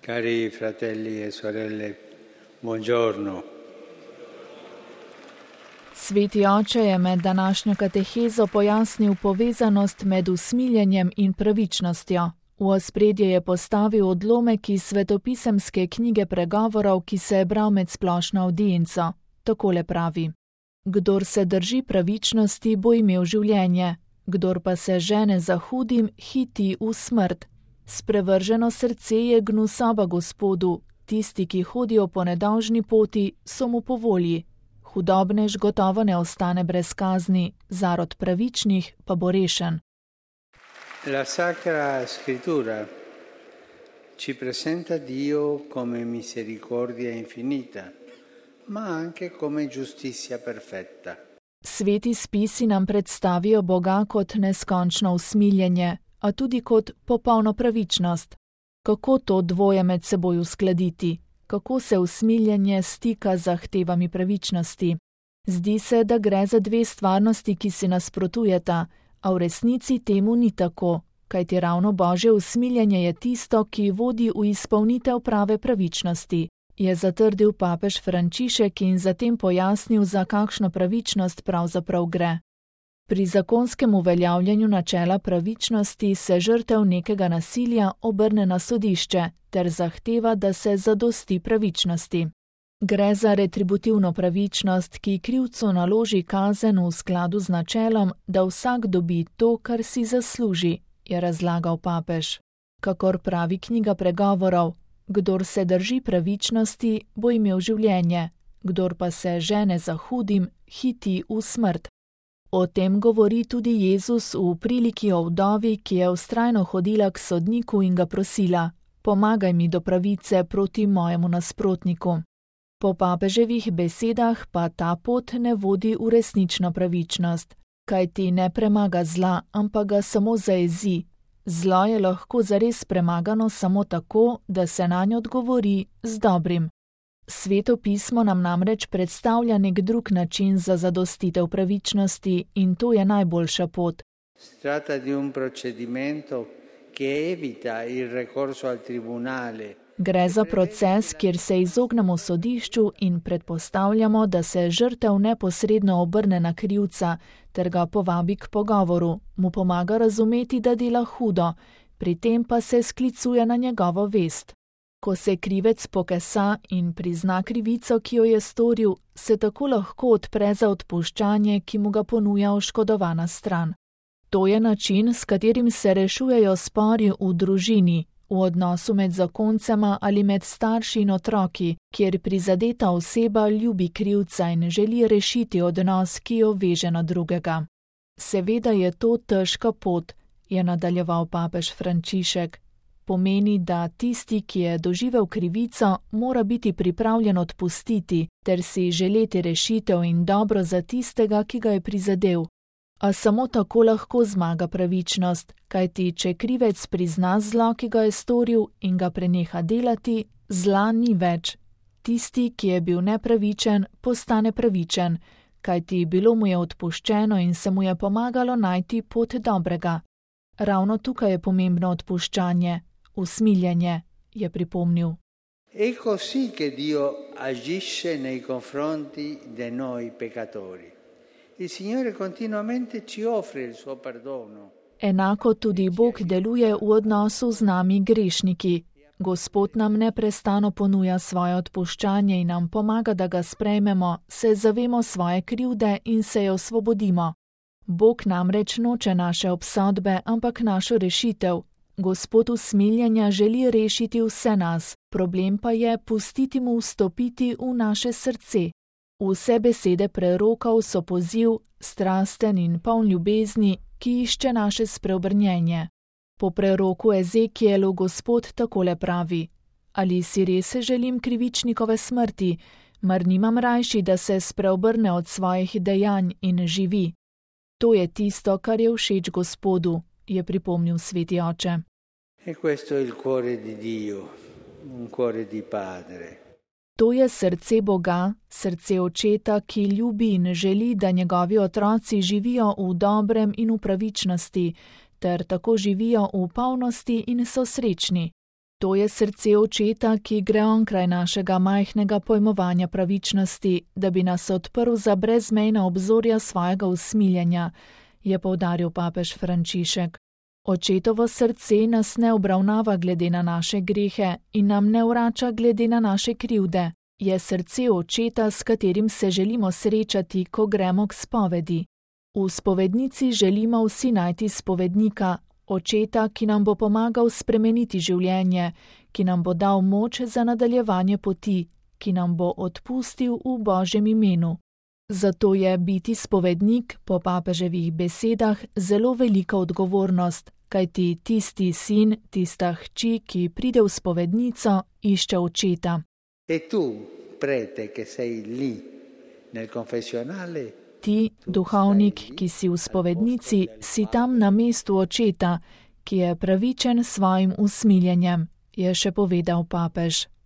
Cari fratelli e sorelle, buongiorno. Sveti oče je med današnjo katehezo pojasnil povezanost med usmiljenjem in pravičnostjo. V ospredje je postavil odlomek iz svetopisemske knjige pregovorov, ki se je bral med splošno avdienco. Takole pravi: Kdor se drži pravičnosti, bo imel življenje, kdor pa se žene za hudim, hiti v smrt. Sprevrženo srce je gnusoba Gospodu, tisti, ki hodijo po nedolžni poti, so mu po volji. Hudobnež gotovo ne ostane brez kazni, zarod pravičnih pa bo rešen. La Sacra Scrittura ci presenta Dio come misericordia infinita, ma anche come giustizia perfetta. Sveti spisi nam predstavijo Boga kot neskončno usmiljenje, a tudi kot popolno pravičnost. Kako to dvoje med seboj uskladiti? Kako se usmiljenje stika z zahtevami pravičnosti? Zdi se, da gre za dve stvarnosti, ki si nasprotujeta, a v resnici temu ni tako, kajti ravno Božje usmiljenje je tisto, ki vodi v izpolnitev prave pravičnosti, je zatrdil papež Frančišek in zatem pojasnil, za kakšno pravičnost pravzaprav gre. Pri zakonskem uveljavljanju načela pravičnosti se žrtev nekega nasilja obrne na sodišče ter zahteva, da se zadosti pravičnosti. Gre za retributivno pravičnost, ki krivcu naloži kazen v skladu z načelom, da vsak dobi to, kar si zasluži, je razlagal papež. Kakor pravi knjiga pregovorov, kdor se drži pravičnosti, bo imel življenje, kdor pa se žene za hudim, hiti v smrt. O tem govori tudi Jezus v priliki o vdovi, ki je vztrajno hodila k sodniku in ga prosila: pomagaj mi do pravice proti mojemu nasprotniku. Po papeževih besedah pa ta pot ne vodi v resnično pravičnost, kajti ne premaga zla, ampak ga samo zajezi. Zlo je lahko zares premagano samo tako, da se nanj odgovori z dobrim. Sveto pismo nam namreč predstavlja nek drug način za zadostitev pravičnosti in to je najboljša pot. Tratta di un procedimento che evita il ricorso al tribunale. Gre za proces, kjer se izognemo sodišču in predpostavljamo, da se žrtev neposredno obrne na krivca ter ga povabi k pogovoru, mu pomaga razumeti, da dela hudo, pri tem pa se sklicuje na njegovo vest. Ko se krivec pokesa in prizna krivico, ki jo je storil, se tako lahko odpre za odpuščanje, ki mu ga ponuja oškodovana stran. To je način, s katerim se rešujejo spori v družini, v odnosu med zakoncema ali med starši in otroki, kjer prizadeta oseba ljubi krivca in želi rešiti odnos, ki jo veže na drugega. Seveda je to težka pot, je nadaljeval papež Frančišek. Pomeni, da tisti, ki je doživel krivico, mora biti pripravljen odpustiti ter si želeti rešitev in dobro za tistega, ki ga je prizadel. A samo tako lahko zmaga pravičnost, kajti če krivec prizna zlo, ki ga je storil in ga preneha delati, zla ni več. Tisti, ki je bil nepravičen, postane pravičen, kajti bilo mu je odpuščeno in se mu je pomagalo najti pot dobrega. Ravno tukaj je pomembno odpuščanje, usmiljenje, je pripomnil. È così che Dio agisce nei confronti di noi peccatori. Il Signore continuamente ci offre il suo perdono. Enako tudi Bog deluje v odnosu z nami grešniki. Gospod nam neprestano ponuja svoje odpuščanje in nam pomaga, da ga sprejmemo, se zavemo svoje krivde in se jo osvobodimo. Bog namreč noče naše obsodbe, ampak našo rešitev. Gospod usmiljenja želi rešiti vse nas, problem pa je pustiti mu vstopiti v naše srce. Vse besede prerokov so poziv, strasten in poln ljubezni, ki išče naše spreobrnjenje. Po preroku Ezekielu Gospod takole pravi: ali si res želim krivičnikove smrti, mar nimam rajši, da se spreobrne od svojih dejanj in živi. To je tisto, kar je všeč Gospodu, je pripomnil sveti oče. E questo è il cuore di Dio, un cuore di padre. To je srce Boga, srce očeta, ki ljubi in želi, da njegovi otroci živijo v dobrem in v pravičnosti, ter tako živijo v polnosti in so srečni. To je srce očeta, ki gre onkraj našega majhnega pojmovanja pravičnosti, da bi nas odprl za brezmejna obzorja svojega usmiljenja, je poudaril papež Frančišek. Očetovo srce nas ne obravnava glede na naše grehe in nam ne vrača glede na naše krivde. Je srce očeta, s katerim se želimo srečati, ko gremo k spovedi. V spovednici želimo vsi najti spovednika, očeta, ki nam bo pomagal spremeniti življenje, ki nam bo dal moč za nadaljevanje poti, ki nam bo odpustil v Božjem imenu. Zato je biti spovednik, po papeževih besedah, zelo velika odgovornost, kajti tisti sin, tista hči, ki pride v spovednico, išče očeta. E tu, prete, che sei lì nel confessionale, ti, duhovnik, ki si v spovednici, si tam na mestu očeta, ki je pravičen s svojim usmiljenjem, je še povedal papež.